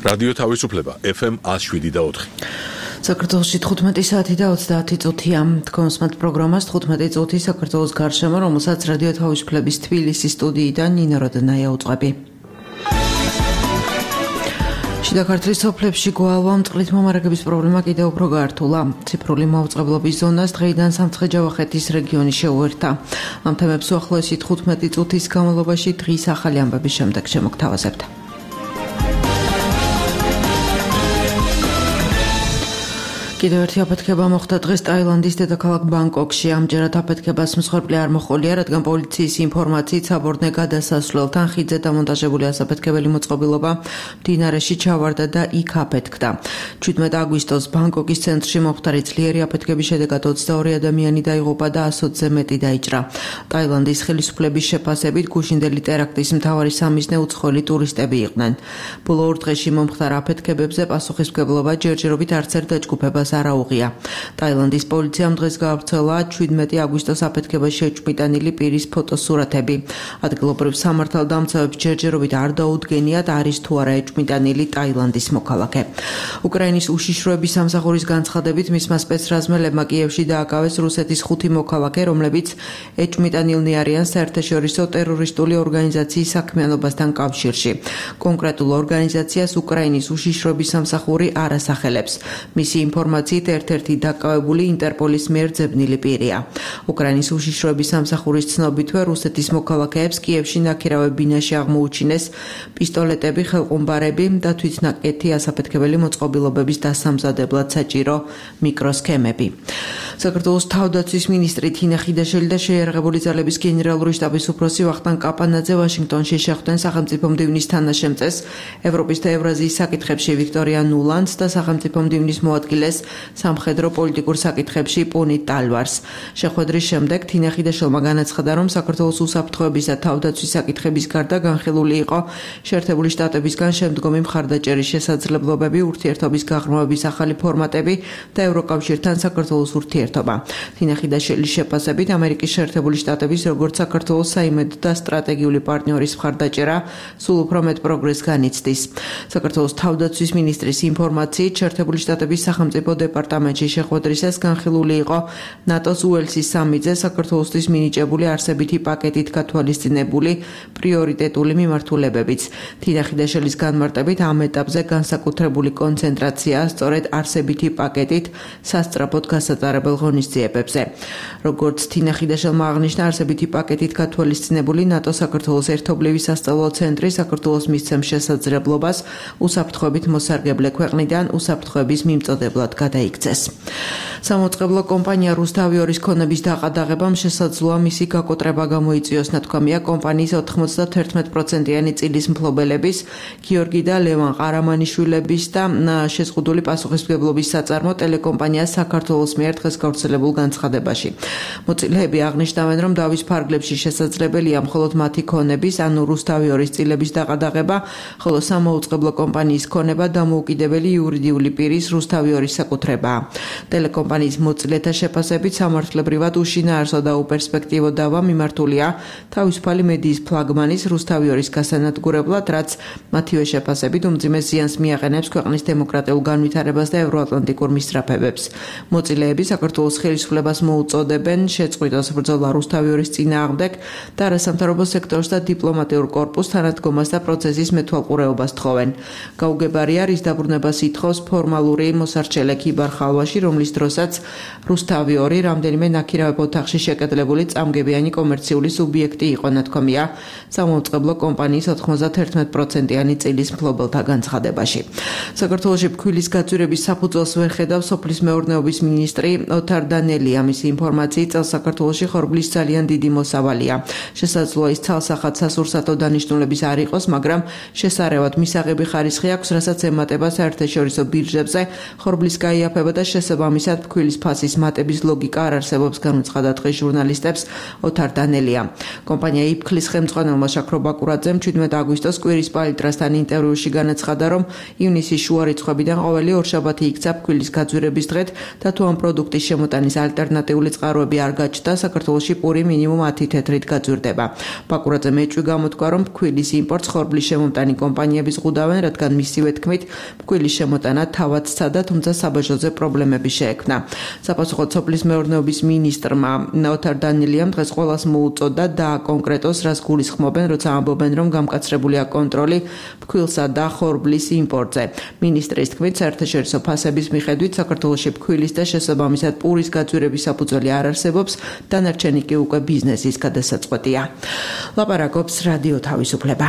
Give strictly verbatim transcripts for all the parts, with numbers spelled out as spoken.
რადიო თავისუფლება ეფ ემ one oh seven და four. საქართველოში თხუთმეტი საათი და ოცდაათი წუთია. თქვენს მათ პროგრამას თხუთმეტი წუთი საქართველოს გარშემო, რომელსაც რადიო თავისუფლების თბილისის სტუდიიდან ნინო როდნაია უწყები. შიდა ქართლის სოფლებში გვალვა მწყლით მომარაგების პრობლემა კიდევ უფრო გაართულა. ციფრული მაუწყებლობის ზონას დღეიდან სამცხე-ჯავახეთის რეგიონი შეუერთა. ამ თემებს უახლოესი თხუთმეტი წუთის განმავლობაში დღის ახალი ამბების შემდეგ შემოგთავაზებთ. კიდევ ერთი აფეთქება მოხდა დღეს ტაილანდის დედაქალაქ ბანგკოკში. ამჯერად აფეთქებას მსხვერპლი არ მოჰყოლია, რადგან პოლიციის ინფორმაციით საბორნე გადასასვლელთან ხიდზე დამონტაჟებული ასაფეთქებელი მოწყობილობა მდინარეში ჩავარდა და იქ აფეთქდა. შვიდმეტი აგვისტოს ბანგკოკის ცენტრში მომხდარი ძლიერი აფეთქების შედეგად ოცდაორი ადამიანი დაიღუპა და ასოცზე მეტი დაიჭრა. ტაილანდის ხელისუფლების შეფასებით გუშინდელი ტერაქტის მთავარი სამიზნე უცხოელი ტურისტები იყვნენ. ბოლო ორ დღეში მომხდარ აფეთქებებზე პასუხისმგებლობა ჯერჯერობით არც ერთ დაჯგუფებას არაუღია. ტაილანდის პოლიციამ დღეს გაავრცელა შვიდმეტი აგვისტოს აფეთქებაში შეჭმიტანილი პირის ფოტოსურათები. ადგილობრივ სამართალდამცავებს ჯერჯერობით არ დაუდგენიათ, არის თუ არა ეჭმიტანილი ტაილანდის მოქალაქე. უკრაინის უშიშროების სამსახურის განცხადებით მისმა სპეცრაზმელებმა კიევში დააკავეს რუსეთის ხუთი მოქალაქე, რომლებიც ეჭმიტანილნი არიან საერთაშორისო ტერორისტული ორგანიზაციის საქმიანობასთან კავშირში. კონკრეტულ ორგანიზაციას უკრაინის უშიშროების სამსახური არ ასახელებს. მისი ინფორმაციით ერთ-ერთი დაკავებული ინტერპოლის მიერ ძებნილი პირია. უკრაინის უშიშროების სამსახურის ცნობითვე რუსეთის მოქალაქეებს კიევში ნაქირავე ბინაში აღმოუჩინეს პისტოლეტები, ხელყუმბარები და თვითნაკეთი ასაფეთქებელი მოწყობილობების დასამზადებლად საჭირო მიკროსქემები. საქართველოს თავდაცვის მინისტრი თინა ხიდაშელი და შეიარაღებული ძალების გენერალური შტაბის უფროსი ვახტანგ კაპანაძე ვაშინგტონში შეხვდნენ სახელმწიფო მდივნის თანაშემწეს, ევროპის და ევრაზიის საკითხებში ვიქტორია ნულანდს და სახელმწიფო მდივნის მოადგილეს სამხედრო პოლიტიკურ საკითხებში პუნიტ ტალვარს. შეხვედრის შემდეგ თინა ხიდაშელმა განაცხადა, რომ საქართველოს უსაფრთხოების და თავდაცვის საკითხების გარდა განხილული იყო შეერთებული შტატებისგან შემდგომი მხარდაჭერის შესაძლებლობები, ურთიერთობის გაღრმავების ახალი ფორმატები და ევროკავშირთან საქართველოს ურთიერთობა. თინა ხიდაშელის შეფასებით ამერიკის შეერთებული შტატების როგორც საქართველოს საიმედო და სტრატეგიული პარტნიორის მხარდაჭერა სულ უფრო მეტ პროგრესს განიცდის. საქართველოს თავდაცვის მინისტრის ინფორმაციით შეერთებული შტატების სახელმწიფო დეპარტამენტში შეხვედრისას განხილული იყო ნატოს უელსის სამიძე საქართველოსთვის მინიჭებული არსებითი პაკეტით გათვალისწინებული პრიორიტეტული მიმართულებებიც. თინა ხიდაშელის განმარტებით ამ ეტაპზე განსაკუთრებული კონცენტრაციაა სწორედ არსებითი პაკეტით სასწრაფოდ გასაწარებელ ღონისძიებებზე. როგორც თინა ხიდაშელმა აღნიშნა, არსებითი პაკეტით გათვალისწინებული ნატო საქართველოს ერთობლივი სასწავლო ცენტრი საქართველოს მისცემს შესაძლებლობას უსაფრთხოებით მოსარგებლე ქვეყნიდან უსაფრთხოების მიმწოდებლად გადაიქცეს. სამოწყებლო კომპანია რუსთავიორის ქონების დაყადაღებამ შესაძლოა მისი გაკოტრება გამოიწვიოს, ნათქვამია კომპანიის ოთხმოცდაათი პროცენტიანი წილის მფლობელების გიორგი და ლევან ყარამანიშვილების და შეზღუდული პასუხისმგებლობის საწარმო ტელეკომპანია საქართველოს მიერ დღეს გავრცელებულ განცხადებაში. მოწილეები აღნიშნავენ, რომ დავის ფარგლებში შესაძლებელია მხოლოდ მათი ქონების, ანუ რუსთავიორის წილების დაყადაღება, ხოლო სამოუწყებლო კომპანიის ქონება დამოუკიდებელი იურიდიული პირის რუსთავიორის საკუთრებაა. ტელეკომპანიის მოწილეთა შეფასებით სამართლებრივად უშინაარსო და უპერსპექტივო დავა მიმართულია თავისუფალი მედიის ფლაგმანის რუსთავიორის გასანადგურებლად, რაც მათივე შეფასებით უმძიმეს ზიანს მიაყენებს ქვეყნის დემოკრატიულ განვითარებას და ევროატლანტიკურ მისწრაფებებს. მოწილეები საქართველოს ხელისუფლებას მოუწოდებენ შეწყვიტოს ბრძოლა რუსთავიორის წინააღმდეგ და არასამთავრობო სექტორს და დიპლომატიურ კორპუსს თანადგომას და პროცესის მეთვალყურეობას თხოვენ. გაუგებარია, რის დაბრუნებას ითხოვს ფორმალური მოსარჩელე ქიბარ ხალვაში, რომლის დროსაც რუსთავიორი რამდენიმე ნაქირავებ ოთახში შეკეტლებული წამგებიანი კომერციული სუბიექტი იყო, ნათქვამია სამოუწყებლო კომპანიის ოთხმოცდაათი პროცენტიანი წილის მფლობელთა განცხადებაში. საქართველოში ფქვილის გაწვირების საფუძველს ვერ ხედავს სოფლის მეურნეობის მინისტრი ოთარ დანელია. მისი ინფორმაციით წელს საქართველოში ხორბლის ძალიან დიდი მოსავალია. შესაძლოა ის ცალსახად სასურსათო დანიშნულების არ იყოს, მაგრამ შესარევად მისაღები ხარისხი აქვს, რასაც ემატება საერთაშორისო ბირჟებზე ხორბლის დაიაფება და შესაბამისად ფქვილის ფასის მატების ლოგიკა არ არსებობს, განუცხადა დღეს ჟურნალისტებს ოთარ დანელია. კომპანია იფქლის ხელმძღვანელმა შაქრო ბაკურაძემ ჩვიდმეტ აგვისტოს კვირის პალიტრასთან ინტერვიუში განაცხადა, რომ ივნისის შუა რიცხვებიდან ყოველი ორშაბათი იქცა ფქვილის გაძვირების დღედ და თუ ამ პროდუქტის შემოტანის ალტერნატიული წყაროები არ გაჩნდა, საქართველოში პური მინიმუმ ათი თეთრით გაძვირდება. ბაკურაძემ ეჭვი გამოთქვა, რომ ფქვილის იმპორტს ხორბლის შემომტანი კომპანიები ზღუდავენ, რადგან მისივე თქმით, ფქვილის შემოტანა თავად სცადა, თუმცა საბაჟოზე პრობლემები შეექმნა. საპასუხოდ სოფლის მეურნეობის მინისტრმა ოთარ დანელიამ დღეს ყველას მოუწოდა დააკონკრეტოს, რას გულისხმობენ, როცა ამბობენ, რომ გამკაცრებულია კონტროლი ფქვილსა და ხორბლის იმპორტზე. მინისტრის თქმით, საერთაშორისო ფასების მიხედვით საქართველოში ფქვილის და შესაბამისად პურის გაძვირების საფუძველი არ არსებობს, დანარჩენი კი უკვე ბიზნესის გადასაწყვეტია. ლაპარაკობს რადიო თავისუფლება.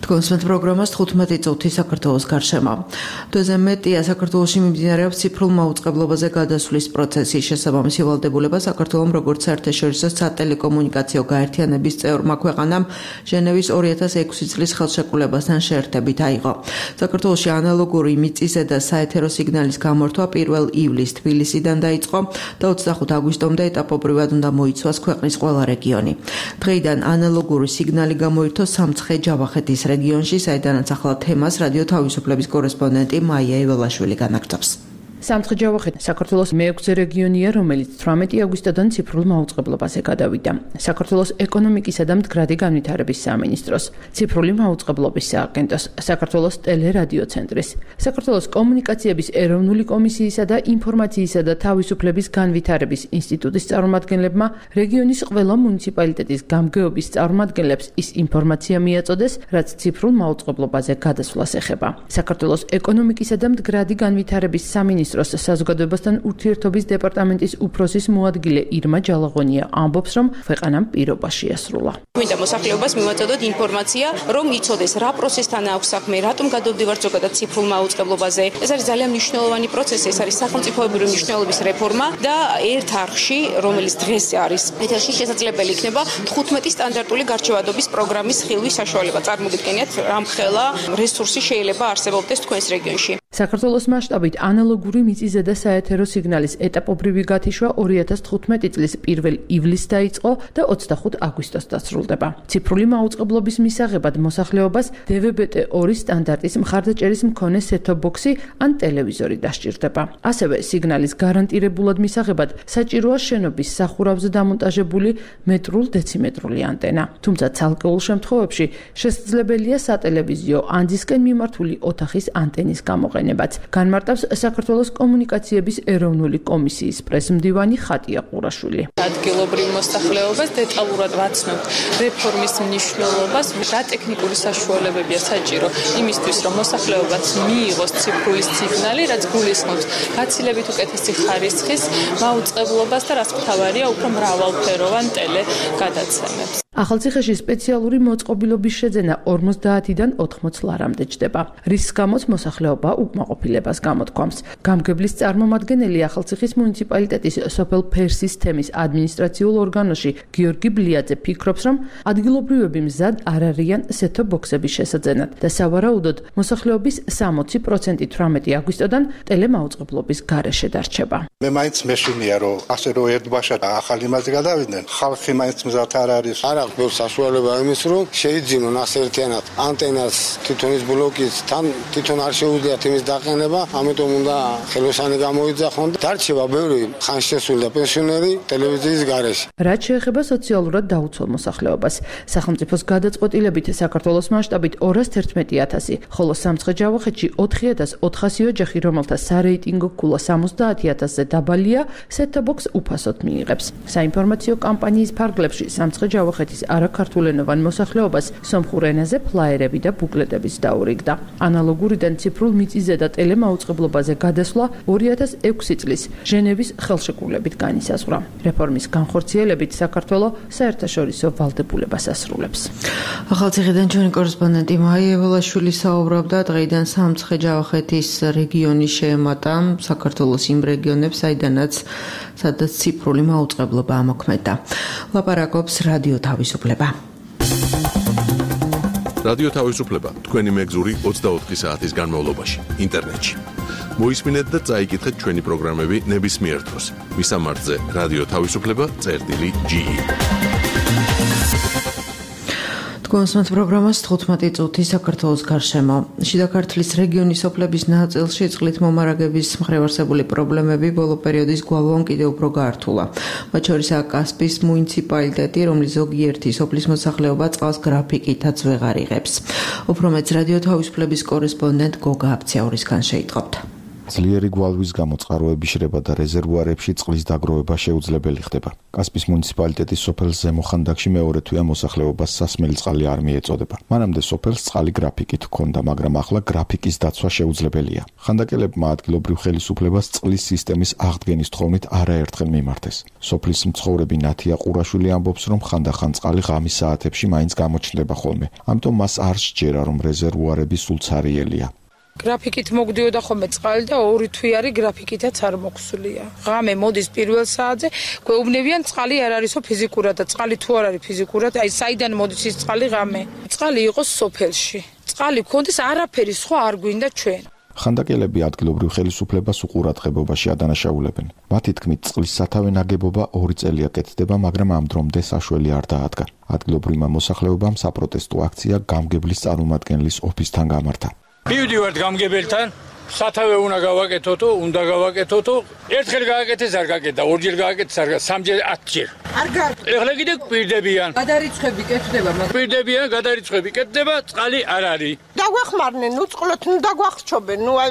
კონსვენტ პროგრამას თხუთმეტი წუთი საქართველოს გარშემო. დღეზე მეტია საქართველოში მიმდინარეობს ციფრულ მაუწყებლობაზე გადასვლის პროცესი. შესაბამისი ვალდებულება საქართველოს როგორც საერთაშორისო სატელეკომუნიკაციო გაერთიანების წევრმა ქვეყანამ ჟენევის ორი ათას ექვსი წლის ხელშეკრულებასთან შეერთებით აიღო. საქართველოში ანალოგური მიწისე და საეთერო სიგნალის გამორთვა პირველ ივლისს თბილისიდან დაიწყო და ოცდახუთ აგვისტომდე ეტაპობრივად უნდა მოიცვას ქვეყნის ყველა რეგიონი. დღეიდან ანალოგური სიგნალი გამოირთო სამცხე ჯავახეთის რეგიონში, საიდანაც ახლა თემას რადიო თავისუფლების კორესპონდენტი მაია იველაშვილი განაგრძობს. სამცხე-ჯავახეთი საქართველოს მეექვსე რეგიონია, რომელიც თვრამეტი აგვისტოდან ციფრულ მაუწყებლობაზე გადავიდა. საქართველოს ეკონომიკისა და მდგრადი განვითარების სამინისტროს, ციფრული მაუწყებლობის სააგენტოს, საქართველოს ტელერადიოცენტრის, საქართველოს კომუნიკაციების ეროვნული კომისიისა და ინფორმაციისა და თავისუფლების განვითარების ინსტიტუტის წარმომადგენლებმა რეგიონის ყველა მუნიციპალიტეტის გამგეობის წარმომადგენლებს ის ინფორმაცია მიაწოდეს, რაც ციფრულ მაუწყებლობაზე გადასვლას ეხება. საქართველოს ეკონომიკისა და მდგრადი განვითარების სამინისტროს საზოგადოებასთან ურთიერთობის დეპარტამენტის უფროსის მოადგილე ირმა ჯალაღონია ამბობს, რომ ქვეყანამ პირობა შეასრულა. მინდა მოსახლეობას მივაწოდოთ ინფორმაცია, რომ იცოდეს რა პროცესთან აქვს საქმე, რატომ გადავდივართ ზოგადად ციფრულ მაუწყებლობაზე. ეს არის ძალიან მნიშვნელოვანი პროცესი, ეს არის სახელმწიფოებრივი მნიშვნელობის რეფორმა და ერთ არხში, რომელიც დღეს არის ეთერში, შესაძლებელი იქნება თხუთმეტი სტანდარტული გარჩევადობის პროგრამის ხილვის საშუალება. წარმოგიდგენიათ, რამხელა რესურსი შეიძლება არსებობდეს თქვენს რეგიონში. საქართველოს მასშტაბით ანალოგური მიწისზედა და საეთერო სიგნალის ეტაპობრივი გათიშვა ორი ათას თხუთმეტი წლის პირველ ივლისს დაიწყო და ოცდახუთ აგვისტოს დასრულდება. ციფრული მაუწყებლობის მისაღებად მოსახლეობას დე ვე ბე ტე ორი სტანდარტის მხარდაჭერის მქონე სეტ-ტოპ-ბოქსი ან ტელევიზორი დასჭირდება. ასევე სიგნალის გარანტირებულად მისაღებად საჭიროა შენობის სახურავზე დამონტაჟებული მეტრულ დეციმეტრული ანტენა. თუმცა ცალკეულ შემთხვევებში შესაძლებელია სატელევიზიო ან დისკენ მიმართული ოთახის ანტენის გამოყენება. განმარტავს საქართველოს კომუნიკაციების ეროვნული კომისიის პრესმდივანი ხატია ყურაშვილი. ადგილობრივ მოსახლეობას დეტალურად ვაცნობთ რეფორმის მნიშვნელობას, რა ტექნიკური საშუალებებია საჭირო იმისთვის, რომ მოსახლეობაც მიიღოს ციფრული სიგნალი, რაც გულისხმობს გაცილებით უკეთესი ხარისხის მაუწყებლობას და რაც მთავარია, უფრო მრავალფეროვან ტელე გადაცემებს. ახალციხეში სპეციალური მოწყობილობის შეძენა ორმოცდაათიდან ოთხმოც ლარამდე ჯდება. რის გამოც მოსახლეობა უკმაყოფილებას გამოთქვამს. გამგებლის წარმომადგენელი ახალციხის მუნიციპალიტეტის სოფელ ფერსის თემის ადმინისტრაციულ ორგანოში გიორგი ბლიაძე ფიქრობს, რომ ადგილობრივები მზად არ არიან სეტ-ტოპ-ბოქსების შესაძენად და სავარაუდოდ მოსახლეობის სამოცი პროცენტი თვრამეტი აგვისტოდან ტელემაუწყებლობის გარეშე დარჩება. მე მაინც მეშინია, რომ ასე რომ ერთბაშად ახალი იმაზე გადავიდნენ, ხალხი მაინც მზად არ არის. არ აქვს ბევრ საშუალება იმის, რომ შეიძინონ ასე ერთიანად ანტენას თვითონის ბლოკის თან თვითონ არ შეუძლიათ იმის დაყენება, ამიტომ უნდა ხელოსანი გამოიძახონ და დარჩება ბევრი ხანშესული და პენსიონერი ტელევიზიის გარეშე. რაც შეეხება სოციალურად დაუცველ მოსახლეობას, სახელმწიფოს გადაწყვეტილებით საქართველოს მასშტაბით ორას თერთმეტი ათასი, ხოლო სამცხე-ჯავახეთში ოთხი ათას ოთხასი ოჯახი, რომელთა სარეიტინგო ქულა სამოცდაათი ათასზე დაბალია, სეტ-ტოპ-ბოქს უფასოდ მიიღებს. საინფორმაციო კამპანიის ფარგლებში სამცხე-ჯავახეთის არაქართულენოვან მოსახლეობას სომხურ ენაზე ფლაიერები და ბუკლეტებიც დაურიგდა. ანალოგურიდან ციფრულ მიწისზე და ტელემაუწყებლობაზე გადასვლა ორი ათას ექვსი წლის ჟენევის ხელშეკრულებით განისაზღვრა. რეფორმის განხორციელებით საქართველოს საერთაშორისო ვალდებულებას ასრულებს. ახალციხიდან ჩვენი კორესპონდენტი მაია იველაშვილი საუბრობდა დღეიდან სამცხე-ჯავახეთის რეგიონი შეემატა საქართველოს იმ რეგიონებს, საიდანაც სადაც ციფრული მაუწყებლობა ამოქმედა. ლაპარაკობს რადიო თავისუფლება. რადიო თავისუფლება თქვენი მეგზური ოცდაოთხი საათის განმავლობაში ინტერნეტში. მოისმინეთ და წაიკითხეთ ჩვენი პროგრამები ნებისმიერ დროს. მისამართზე რადიო თავისუფლება წერტილი ჯი. კონსულტ პროგრამას თხუთმეტი წუთი საქართველოს გარშემო. შიდა ქართლის რეგიონის სოფლების ნაწილში წყლით მომარაგების მხრივ არსებული პრობლემები ბოლო პერიოდის გვალვამ კიდევ უფრო გაართულა. მათ შორისაა კასპის მუნიციპალიტეტი, რომლის ზოგიერთი სოფლის მოსახლეობა წყალს გრაფიკითაც ვეღარ იღებს. უფრო მეც რადიო თავისუფლების კორესპონდენტ გოგა აფციაურისგან შეიტყობთ. ძლიერი გვალვის გამო წყაროების შრება და რეზერვუარებში წყლის დაგროვება შეუძლებელი ხდება. კასპის მუნიციპალიტეტის სოფელ ზემო ხანდაკში მეორე თვეა მოსახლეობას სასმელი წყალი არ მიეწოდება. მანამდე სოფელს წყალი გრაფიკით ჰქონდა, მაგრამ ახლა გრაფიკის დაცვა შეუძლებელია. ხანდაკელებმა ადგილობრივ ხელისუფლებას წყლის სისტემის აღდგენის თხოვნით არაერთხელ მიმართეს. სოფლის მცხოვრები ნათია ყურაშვილი ამბობს, რომ ხანდახან წყალი ღამის საათებში მაინც გამოჩნდება ხოლმე. ამიტომ მას არ სჯერა, რომ რეზერვუარები სულ ცარიელია. გრაფიკით მოგდიოდა ხოლმე წყალი და ორი თვიანი გრაფიკითაც არ მოხსულია. ღამე მოდის პირველ საათზე, გვეუბნებიან წყალი არ არისო ფიზიკურად და წყალი თუ არ არის ფიზიკურად, აი საიდან მოდის ის წყალი ღამე. წყალი იყოს სოფელში. წყალი გქონდეს, არაფერი სხვა არ გვინდა ჩვენ. ხანდაკელები ადგილობრივ ხელისუფლებას უყურადღებობაში ადანაშაულებენ. მათი თქმით, წყლის სათავე ნაგებობა ორი წელია კეთდება, მაგრამ ამ დრომდე საშველი არ დაადგა. ადგილობრივმა მოსახლეობამ საპროტესტო აქცია გამგებლის წარმომადგენლის ოფისთან გამართა. მივდივართ გამგებელთან, სათავე უნდა გავაკეთოთო, უნდა გავაკეთოთო. ერთხელ გააკეთეს, არ გააკეთა, ორჯერ გააკეთეს, არ გააკეთა, სამჯერ, ათჯერ. არ გააკეთა. ეხლა კიდე კვირდებიან. გადარიცხები კეთდება, მაგრამ კვირდებიან, გადარიცხები კეთდება, წყალი არ არის. დაგვეხმარნენ, ნუ წყლოთ, ნუ დაგვახსჩობენ, ნუ აი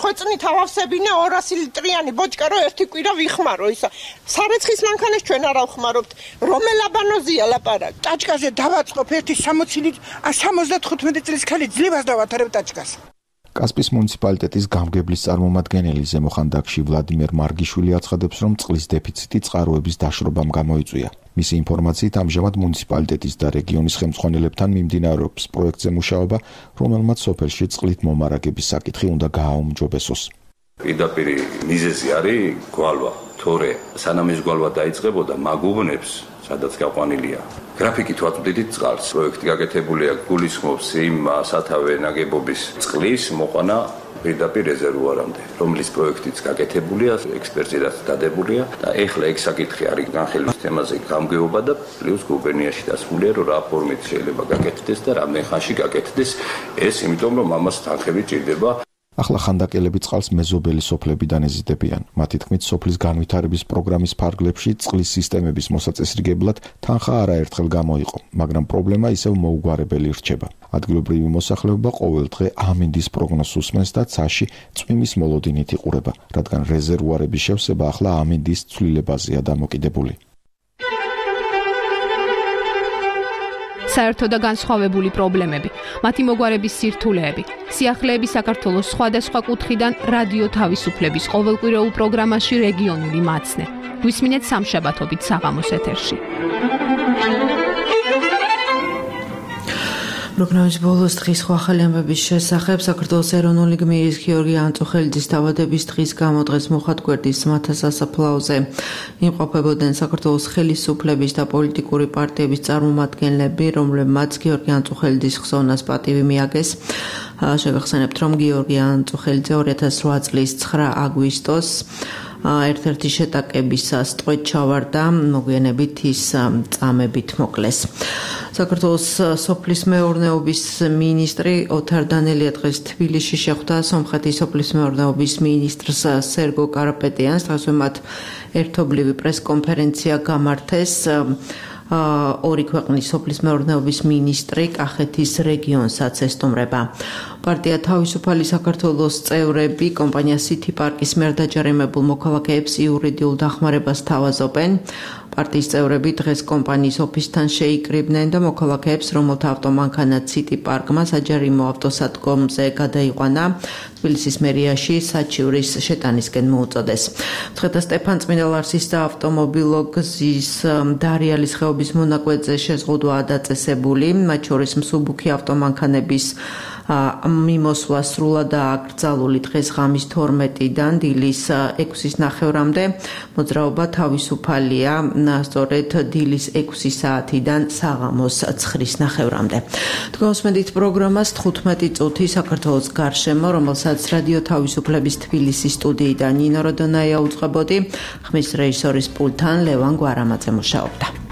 ხვეწნით ავავსებინე ორასი ლიტრიანი ბოჭკა რო ერთი კვირა ვიხმარო ისა. სარეცხის მანქანას ჩვენ არ ავხმარობთ. რომელ აბანოზია ლაპარაკი? ტაჭკაზე დავაწყობ ერთი სამოცი ლიტრი, სამოცდათხუთმეტი წლის ქალი ძლებას დავათარებ ტაჭკას. კასპის მუნიციპალიტეტის გამგებლის წარმომადგენელი ზემო ხანდაკში ვლადიმერ მარგიშვილი აცხადებს, რომ წყლის დეფიციტი წყაროების დაშრობამ გამოიწვია. მისი ინფორმაციით, ამჟამად მუნიციპალიტეტის და რეგიონის ხელმძღვანელებთან მიმდინარეობს პროექტზე მუშაობა, რომელმაც სოფელში წყლით მომარაგების საკითხი უნდა გააუმჯობესოს. პირდაპირ მიზეზი არის გვალვა. თორე სანამ ეს გვალვა დაიწყებოდა, მაგუბნებს სადაც გაყვანილია. გრაფიკით ვაწვდით წყალს. პროექტი გაკეთებულია, გულისხმობს იმ სათავე ნაგებობის წყლის მოყვანა პირდაპირ რეზერვუარამდე, რომლის პროექტიც გაკეთებულია, ექსპერტიზაც დადებულია და ეხლა ეგ საკითხი არის განხილვის თემაზე გამგეობა და პლუს გუბერნიაში დასმულია, რომ რა ფორმით შეიძლება გაკეთდეს და რა მეხანში გაკეთდეს ეს, იმიტომ რომ ამას თანხები ჭირდება. ახლა ხანდაკელები წყალს მეზობელი სოფლებიდან ეზიდებიან. მათი თქმით, სოფლის განვითარების პროგრამის ფარგლებში წყლის სისტემების მოსაწესრიგებლად თანხა არაერთხელ გამოიყო, მაგრამ პრობლემა ისევ მოუგვარებელი რჩება. ადგილობრივი მოსახლეობა ყოველ დღე ამინდის პროგნოზს უსმენს და ცაში წვიმის მოლოდინით იყურება, რადგან რეზერვუარების შევსება ახლა ამინდის ცვლილებაზეა დამოკიდებული. საერთო და განსხვავებული პრობლემები, მათი მოგვარების სირთულეები, სიახლეები საქართველოს სხვადასხვა კუთხიდან რადიო თავისუფლების ყოველკვირეულ პროგრამაში რეგიონული მაცნე. გვისმინეთ სამშაბათობით საღამოს ეთერში. პროგრამის ბოლოს დღის სხვა ახალი ამბების შესახებ საქართველოს ეროვნული გმირის გიორგი ანწუხელიძის დაბადების დღის გამო დღეს მოხატგვერდის მთა სასაფლაოზე იმყოფებოდნენ საქართველოს ხელისუფლების და პოლიტიკური პარტიების წარმომადგენლები, რომლებმაც გიორგი ანწუხელიძის ხსოვნას პატივი მიაგეს. შეგახსენებთ, რომ გიორგი ანწუხელიძე ორი ათას რვა წლის ცხრა აგვისტოს ერთ-ერთი შეტაკებისას ტყვედ ჩავარდა, მოგვიანებით ის წამებით მოკლეს. საქართველოს სოფლის მეურნეობის მინისტრი ოთარ დანელია დღეს თბილისში შეხვდა სომხეთის სოფლის მეურნეობის მინისტრს სერგო კარაპეტიანს. დღეს მათ ერთობლივი პრესკონფერენცია გამართეს. ორი ქვეყნის სოფლის მეურნეობის მინისტრი კახეთის რეგიონსაც ესტუმრება. პარტია თავისუფალი საქართველოს წევრები კომპანია City Park-ის მიერ დაჯარიმებულ მოქალაქეებს იურიდიულ დახმარებას თავაზობენ. პარტიის წევრები დღეს კომპანიის ოფისთან შეიკრიბნენ და მოქალაქეებს, რომელთა ავტომანქანა City Park-მა საჯარიმო ავტოსადგომზე გადაიყვანა, თბილისის მერიაში საჩივრის შეტანისკენ მოუწოდეს. მცხეთა სტეფანწმინდა-ლარსის და ავტომობილო გზის დარიალის ხეობის მონაკვეთზე შეზღუდვაა დაწესებული, მათ შორის მსუბუქი ავტომანქანების მიმოსვლა სრულად აკრძალული დღეს ღამის თორმეტიდან დილის ექვსის ნახევრამდე მოძრაობა თავისუფალია სწორედ დილის ექვსი საათიდან საღამოს ცხრის ნახევრამდე. თქვენსმენთ პროგრამას თხუთმეტი წუთი საქართველოს გარშემო, რომელსაც რადიო თავისუფლების თბილისის სტუდიიდან ნინო როდონაია უწყებოდი, ხმის რეჟისორის პულტთან ლევან გვარამაძე მუშაობდა.